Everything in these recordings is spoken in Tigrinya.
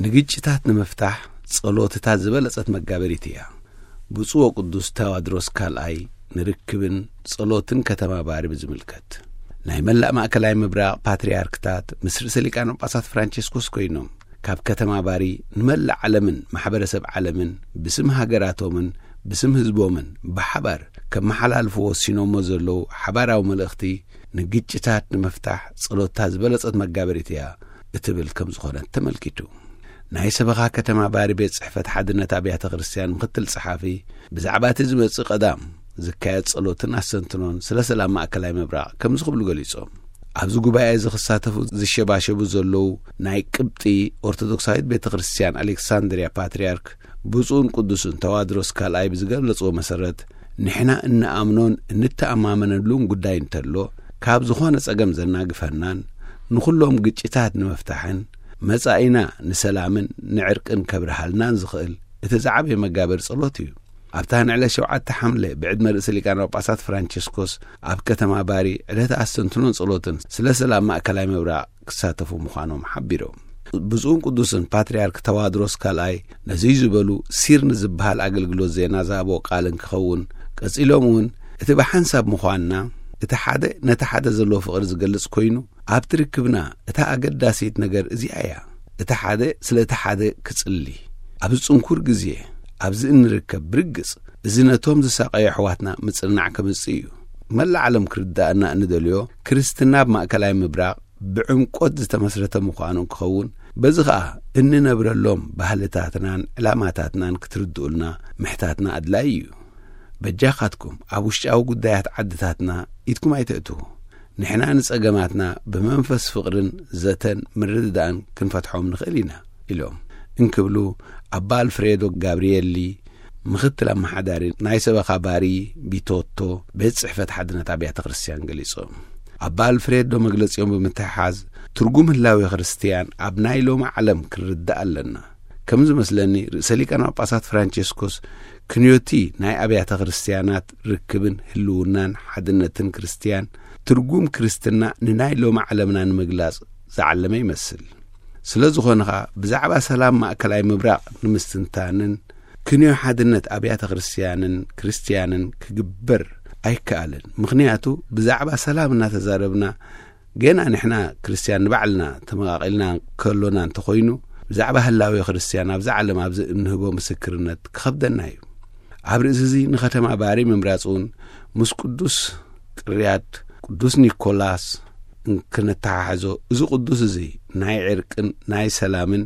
ንግጭታት ንምፍታሕ ጸሎትታት ዝበለጸት መጋበሪት እያ። ብፁዕ ወቅዱስ ተዋድሮስ ካልኣይ ንርክብን ጸሎትን ከተማ ባሪ ብዝምልከት፣ ናይ መላእ ማእከላይ ምብራቕ ፓትርያርክታት ምስ ርእሰ ሊቃነ ጳጳሳት ፍራንቸስኮስ ኮይኖም፣ ካብ ከተማ ባሪ ንመላእ ዓለምን ማሕበረሰብ ዓለምን ብስም ሃገራቶምን ብስም ህዝቦምን ብሓባር ከመሓላልፍዎ ወሲኖሞ ዘለዉ ሓባራዊ መልእኽቲ፣ ንግጭታት ንምፍታሕ ጸሎትታ ዝበለጸት መጋበሪት እያ እትብል ከም ዝኾነት ተመልኪቱ። ናይ ሰበኻ ከተማ ባሪ ቤት ጽሕፈት ሓድነት ኣብያተ ክርስቲያን ምኽትል ጸሓፊ፣ ብዛዕባ እቲ ዝመጽእ ቀዳም ዝካየድ ጸሎትን ኣስተንትኖን ስለ ሰላም ማእከላይ ምብራቕ ከምዚ ክብሉ ገሊጾም። ኣብዚ ጉባኤ እዚ ክሳተፉ ዝሸባሸቡ ዘለዉ ናይ ቅብጢ ኦርቶዶክሳዊት ቤተ ክርስቲያን ኣሌክሳንድርያ ፓትርያርክ ብፁዕን ቅዱስን ተዋድሮስ ካልኣይ ብዝገለጽዎ መሰረት፣ ንሕና እንኣምኖን እንተኣማመነሉን ጉዳይ እንተሎ፣ ካብ ዝኾነ ጸገም ዘናግፈናን ንኹሎም ግጭታት ንምፍታሕን መጻኢና ንሰላምን ንዕርቅን ከብርሃልናን ዝኽእል እቲ ዝዓበየ መጋበሪ ጸሎት እዩ። ኣብታ ንዕለት ሸውዓተ ሓምለ ብዕድመ ርእሰ ሊቃነ ጳጳሳት ፍራንቸስኮስ ኣብ ከተማ ባሪ ዕለተ ኣስተንትኖን ጸሎትን ስለ ሰላም ማእከላይ ምብራቕ ክሳተፉ ምዃኖም ሓቢሮም። ብፁዕን ቅዱስን ፓትርያርክ ተዋድሮስ ካልኣይ ነዚ ዝበሉ ሲር ንዝበሃል ኣገልግሎት ዜና ዝሃብዎ ቃል እንክኸውን፣ ቀጺሎም እውን እቲ ብሓንሳብ ምዃንና፣ እቲ ሓደ ነቲ ሓደ ዘለዎ ፍቕሪ ዝገልጽ ኮይኑ፣ ኣብቲ ርክብና እታ ኣገዳሲት ነገር እዚኣ እያ። እቲ ሓደ ስለ እቲ ሓደ ክጽሊ። ኣብዚ ጽንኩር ግዜ ኣብዚ እንርከብ ብርግጽ፣ እዚ ነቶም ዝሳቐዩ ኣሕዋትና ምጽንናዕ ከምጽእ እዩ። መላእ ዓለም ክርዳእና እንደልዮ፣ ክርስትና ኣብ ማእከላይ ምብራቕ ብዕምቆት ዝተመስረተ ምዃኑ ክኸውን፣ በዚ ኸኣ እንነብረሎም ባህልታትናን ዕላማታትናን ክትርድኡልና ምሕታትና ኣድላዪ እዩ። በጃኻትኩም ኣብ ውሽጣዊ ጉዳያት ዓድታትና ኢድኩም ኣይተእትዉ። ንሕና ንጸገማትና ብመንፈስ ፍቕርን ዘተን ምርድዳእን ክንፈትሖም ንኽእል ኢና ኢሎም እንክብሉ ኣባ ኣልፍሬዶ ጋብሪኤሊ ምኽትል ኣመሓዳሪ ናይ ሰበኻ ባሪ ቢቶቶ ቤት ጽሕፈት ሓድነት ኣብያተ ክርስቲያን ገሊጾም። ኣባ ኣልፍሬዶ መግለጺኦም ብምትሕሓዝ፣ ትርጉም ህላዌ ክርስቲያን ኣብ ናይ ሎሚ ዓለም ክንርዳእ ኣለና። ከም ዝመስለኒ ርእሰ ሊቃነ ጳጳሳት ፍራንቸስኮስ ክንዮቲ ናይ ኣብያተ ክርስቲያናት ርክብን ህልውናን ሓድነትን ክርስቲያን ትርጉም ክርስትና ንናይ ሎሚ ዓለምና ንምግላጽ ዝዓለመ ይመስል። ስለ ዝኾነ ኸኣ ብዛዕባ ሰላም ማእከላይ ምብራቕ ንምስትንታንን ክንዮ ሓድነት ኣብያተ ክርስቲያንን ክርስቲያንን ክግበር ኣይከኣልን። ምኽንያቱ ብዛዕባ ሰላም እናተዛረብና ገና ንሕና ክርስቲያን ንባዕልና ተመቓቒልና ከሎና እንተኾይኑ፣ ብዛዕባ ህላዌ ክርስቲያን ኣብዛ ዓለም ኣብዚ እንህቦ ምስክርነት ክኸብደና እዩ። ኣብ ርእሲ እዚ ንኸተማ ባሪ ምምራጽ እውን ምስ ቅዱስ ቅርያት ቅዱስ ኒኮላስ እንክነተሓሕዞ፣ እዚ ቅዱስ እዚ ናይ ዕርቅን ናይ ሰላምን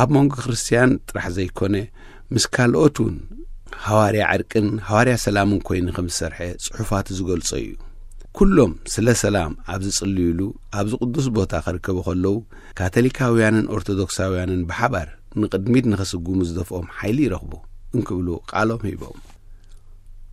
ኣብ መንጎ ክርስቲያን ጥራሕ ዘይኮነ፣ ምስ ካልኦት እውን ሃዋርያ ዕርቅን ሃዋርያ ሰላምን ኮይኑ ከም ዝሰርሐ ጽሑፋቱ ዝገልጾ እዩ። ኩሎም ስለ ሰላም ኣብ ዝጽልዩሉ ኣብዚ ቅዱስ ቦታ ክርከቡ ከለዉ፣ ካቶሊካውያንን ኦርቶዶክሳውያንን ብሓባር ንቕድሚት ንኸስጉሙ ዝደፍኦም ሓይሊ ይረኽቡ እንክብሉ ቃሎም ሂቦም።